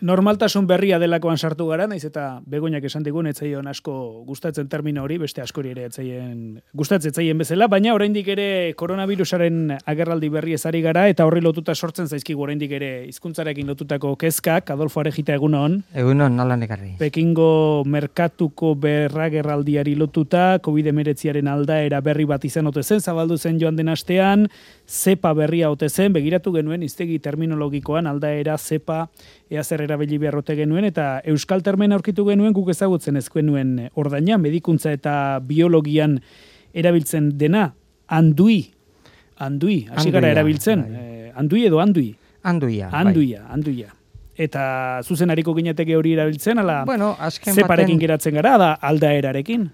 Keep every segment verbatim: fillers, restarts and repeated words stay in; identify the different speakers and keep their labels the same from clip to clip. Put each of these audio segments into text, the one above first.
Speaker 1: Normaltasun berria delakoan sartu gara, naiz eta Begoñak esan digun etzaion asko gustatzen termino hori, beste askori ere etzaien gustatzen etzaien bezala, baina oraindik ere koronavirusaren agerraldi berri ezari gara eta horri lotuta sortzen zaizkigu oraindik ere hizkuntzarekin lotutako kezkak. Adolfo Arejita, egunon.
Speaker 2: Egunon, nola nekarri.
Speaker 1: Pekingo merkatuko berragerraldiari lotuta covid hemeretziaren aldaera berri bat izan ote zen, zabaldu zen joan den astean, zepa berria ote zen, begiratu genuen hiztegi terminologikoan aldaera zepa ea zer erabili beharrote genuen, eta euskal termen aurkitu genuen guk ezagutzen ezkuen nuen ordaina, medikuntza eta biologian erabiltzen dena, andui, andui, hasi gara erabiltzen, eh, andui edo andui?
Speaker 2: Anduia.
Speaker 1: Anduia, bai. Anduia. Eta zuzenariko ginateke hori erabiltzen, ala
Speaker 2: bueno,
Speaker 1: zeparekin baten... geratzen gara, da aldaerarekin?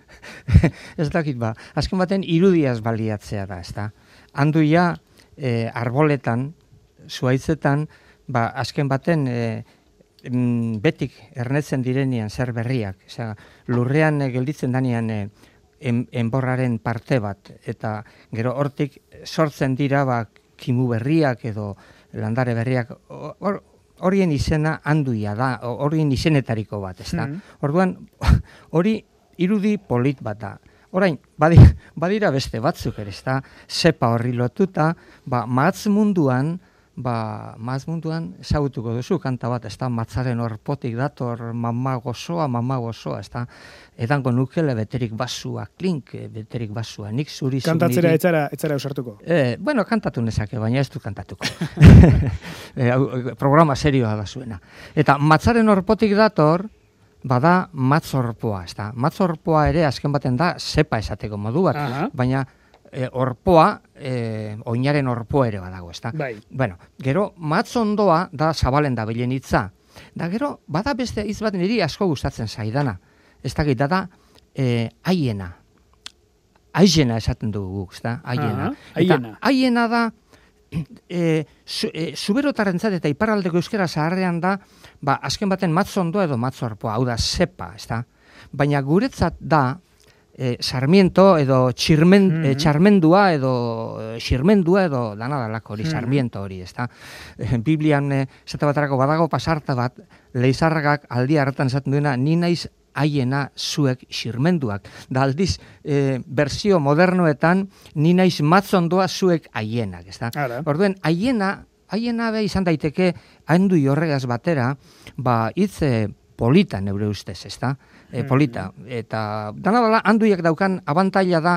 Speaker 2: Ez dakit ba, azken baten irudiaz baliatzea da, ezta? Anduia eh, arboletan, zuaitzetan, ba, azken baten e, betik ernetzen direnean zer berriak. Osea, lurrean e, gelditzen danean e, en, enborraren parte bat, eta gero hortik sortzen dira ba, kimu berriak edo landare berriak, hor, horien izena anduia da, horien izenetariko bat, ezta? Mm. Orduan, hori irudi polit bat da. Orain, badira, badira beste batzuk ere, ezta? Zepa horri lotuta, ba, matz munduan, Ba, maz munduan ezagutuko duzu kanta bat, ez da, matzaren horpotik dator, mama gozoa, mama gozoa, ez da, edango nukele beterik basua, klink beterik basua, nik zuri zuri.
Speaker 1: Kantatzera etzara, etzara usartuko?
Speaker 2: Eh, bueno, kantatu nezake, baina ez du kantatuko. e, programa serioa da zuena. Eta matzaren horpotik dator, bada matzorpoa, ez da. Matzorpoa ere azken baten da, zepa esateko modu bat, aha, baina E, orpoa, e, oinaren orpoa ere badago, ezta?
Speaker 1: Bai.
Speaker 2: Bueno, gero, matzondoa da zabalen da bilen hitza. Da gero, bada beste hitz bat niri asko gustatzen zaidana. Ez dakit, da da, e, aiena. Aiena esaten dugu guk, ezta? Aiena.
Speaker 1: Aiena.
Speaker 2: Eta aiena da, e, zu, e, zuberotarrentzat eta iparraldeko euskera zaharrean da, ba, azken baten matzondoa edo matzorpoa, hau da, zepa, ezta? Baina guretzat da, E, sarmiento edo txirmen, mm-hmm. e, txarmendua edo e, xirmendua edo dana dalako hori, mm-hmm. sarmiento hori, ezta? E, Biblian, e, zeta batarako badago pasarta bat, leizarragak aldi hartan esaten duena, ni naiz haiena zuek xirmenduak. Da aldiz, e, berzio modernoetan, ni naiz matzondoa zuek haienak, ezta? Orduen, haiena, haiena be izan daiteke, haindu horregaz batera, ba, hitz e, polita neure ustez, ezta? E, polita, eta dana dela handuiak daukan abantaila da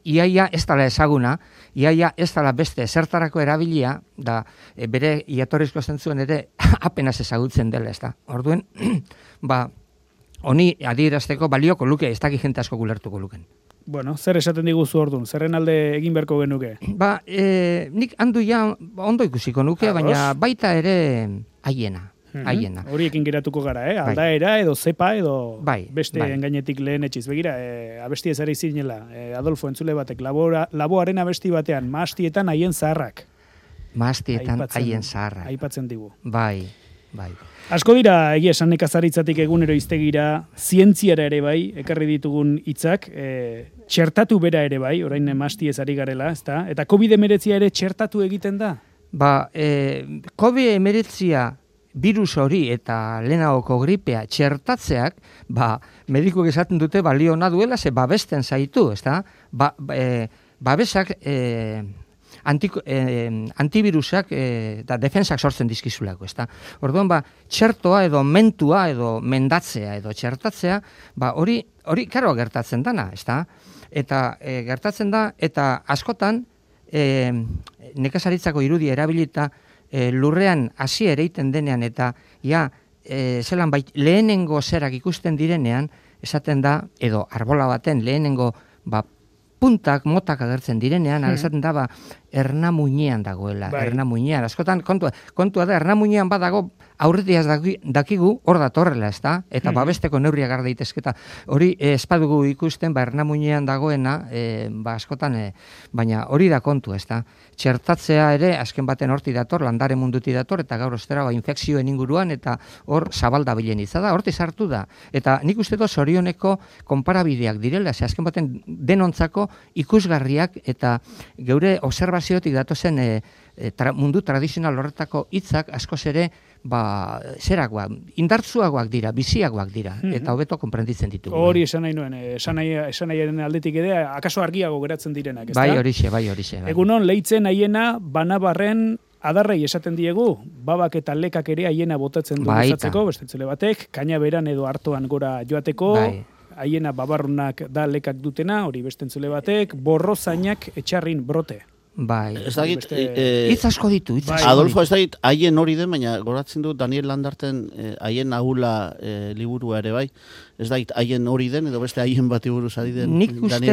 Speaker 2: iaia ez dela ezaguna, iaia ez dela beste zertarako erabilia, da e, bere iatorrizko zentzuen ere apenas ezagutzen dela, ez da. Orduen, ba, honi adierazteko balioko luke, ez dakit jente asko gulertuko luken.
Speaker 1: Bueno, zer esaten diguzu orduan, zerren alde egin beharko genuke?
Speaker 2: Ba, e, nik handuia ondo ikusiko nuke, Arroz. Baina baita ere haiena. Haiena.
Speaker 1: Horiekin geratuko gara, eh? Aldaera edo zepa edo
Speaker 2: bai,
Speaker 1: beste
Speaker 2: bai.
Speaker 1: Engainetik lehen etxiz. Begira, eh, abesti ezari zinela, eh, Adolfo entzule batek, labora, laboaren abesti batean, maastietan haien zaharrak.
Speaker 2: Maastietan haien zaharrak.
Speaker 1: Aipatzen digu.
Speaker 2: Bai, bai.
Speaker 1: Asko dira, egia esan nekazaritzatik egunero iztegira, zientziara ere bai, ekarri ditugun hitzak, eh, txertatu bera ere bai, orain maasti ezari garela, ezta? Eta covid hemeretzia ere txertatu egiten da?
Speaker 2: Ba, eh, covid hemeretzia virus hori eta lehenagoko gripea txertatzeak, ba, medikuek esaten dute balio ona duela, ze babesten zaitu, ezta? Ba, e, babesak, e, antiko, e, antivirusak e, da defensak sortzen dizkizulako, ezta? Orduan, ba, txertoa edo mentua edo mendatzea edo txertatzea, ba, hori, hori karo gertatzen dana, ezta? Eta e, gertatzen da, eta askotan, e, nekazaritzako irudia erabilita, E, lurrean hasi ereiten denean eta ja, e, zelan bait, lehenengo zerak ikusten direnean, esaten da, edo arbola baten lehenengo ba, puntak, motak agertzen direnean, hmm. esaten da, ba, ernamuinean dagoela, bai. Ernamuinean. Askotan, kontua, kontua da, ernamuinean badago, aurretiaz dakigu, hor datorrela, ez da? Eta hmm. babesteko neurriak gar daitezketa. Hori, eh, espadugu ikusten, ba, ernamuinean dagoena, eh, ba, askotan, eh, baina hori da kontu, ez da? Txertatzea ere, azken baten horti dator, landare munduti dator, eta gaur ostera, ba, infekzioen inguruan, eta hor zabalda bilen izada, horti sartu da. Eta nik uste dut zorioneko konparabideak direla, ze azken baten denontzako ikusgarriak, eta geure observaziotik datozen e, e, tra, mundu tradizional horretako hitzak askoz ere ba, zerakoak, indartzuagoak dira, biziagoak dira, mm-hmm. eta hobeto konprenditzen ditugu.
Speaker 1: Hori esan nahi nuen, esan nahiaren aldetik ere, akaso argiago geratzen direnak, ezta?
Speaker 2: Bai, horixe, bai, horixe. Bai.
Speaker 1: Egunon, leitzen haiena, banabarren adarrei esaten diegu, babak eta lekak ere haiena botatzen du gozatzeko, bestetzele batek, kaina beran edo hartoan gora joateko, bai. Haiena babarrunak da lekak dutena, hori bestentzule batek, borrozainak etxarrin brote.
Speaker 2: Bai.
Speaker 3: Ez dakit,
Speaker 2: hitz asko ditu, hitz asko.
Speaker 3: Adolfo, ez dakit, haien hori den, baina goratzen du Daniel Landarten haien eh, ahula eh, liburua ere bai. Ez dakit, haien hori den, edo beste haien bati buruz ari den.
Speaker 2: Nik uste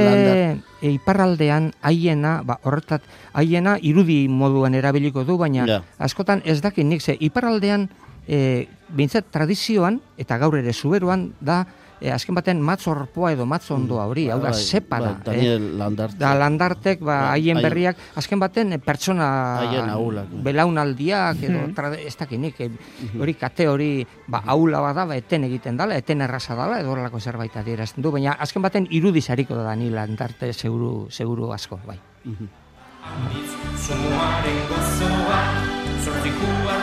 Speaker 2: iparraldean haiena, ba, horretat, haiena irudi moduan erabiliko du, baina ja. Askotan ez dakit nik, ze iparraldean, e, bintzat tradizioan, eta gaur ere zuberuan, da, E, azken baten matzorpoa edo matzondoa hori, hau da, sepa da.
Speaker 3: Ba, Daniel Landartek.
Speaker 2: Da, Landartek, ba, haien berriak, azken baten pertsona belaunaldiak, edo, tra, ez dakinik, hori kate hori, ba, aula bada, ba, eten egiten dala, eten erraza dala, edo horrelako zerbait adierazten du, baina azken baten irudizariko da Daniel Landarte seguru, seguru asko, bai.
Speaker 4: Zumuaren gozoa, zortzikua,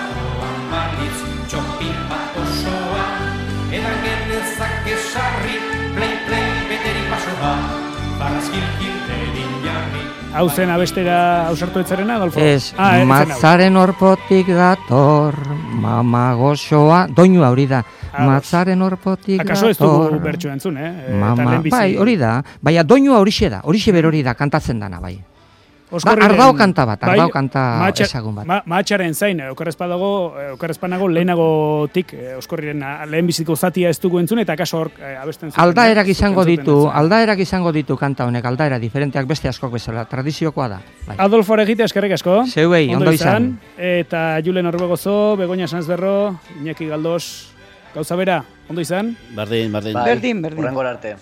Speaker 4: amalitz, txopin bat osoa, edan genezak esarri, play, play, beteri pasoa, barrazkilkin terin jarri.
Speaker 1: Hau zen abestera ausartu etzarena, Adolfo?
Speaker 2: Ez, ah, matzaren orpotik dator, mama gozoa, doinua hori da, matzaren orpotik dator. Akaso ez dugu bertxo entzun, eh? Mama, bai, hori da, baina doinua horixe da, horixe berori da, kantatzen dana, bai. Ba, ardao kanta bat, ardao bai, kanta matxa, ezagun bat. Ma, matxaren zain, okarrezpanago, okarrezpanago lehenagotik, oskorriren lehenbiziko zatia ez dugu entzun, eta akaso hor abesten zuen. Aldaerak izango ditu, aldaerak izango ditu kanta honek, aldaera diferenteak beste askok bezala, tradiziokoa da. Bai.
Speaker 1: Adolfo Aregite, eskerrik asko.
Speaker 2: Zeuei, ondo, ondo izan.
Speaker 1: Eta Julen Orbegozo, Begoña Sanzberro, Iñaki Galdos, gauza bera, ondo izan?
Speaker 3: Berdin, berdin.
Speaker 5: Berdin, berdin. Urrengor arte.